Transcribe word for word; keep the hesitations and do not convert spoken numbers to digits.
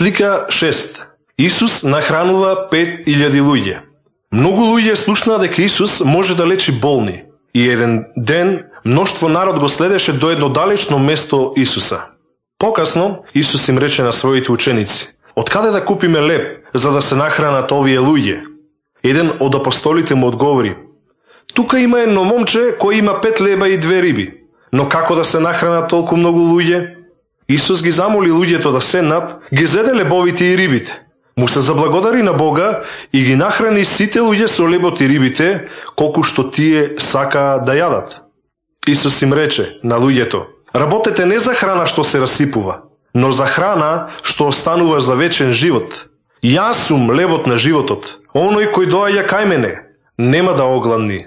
Слика шест. Исус нахранува пет илјади луѓе. Многу луѓе слушнаа дека Исус може да лечи болни. И еден ден мноштво народ го следеше до едно далечно место Исуса. Покасно Исус им рече на своите ученици: "Откаде да купиме леб за да се нахранат овие луѓе?" Еден од апостолите му одговори: "Тука има едно момче кој има пет леба и две риби, но како да се нахранат толку многу луѓе?" Исус ги замоли луѓето да седнат, ги зеде лебовите и рибите. Му се заблагодари на Бога и ги нахрани сите луѓе со лебот и рибите, колку што тие сакаа да јадат. Исус им рече на луѓето: "Работете не за храна што се расипува, но за храна што останува за вечен живот. Јас сум лебот на животот. Оној кој доаѓа кај мене нема да огладни,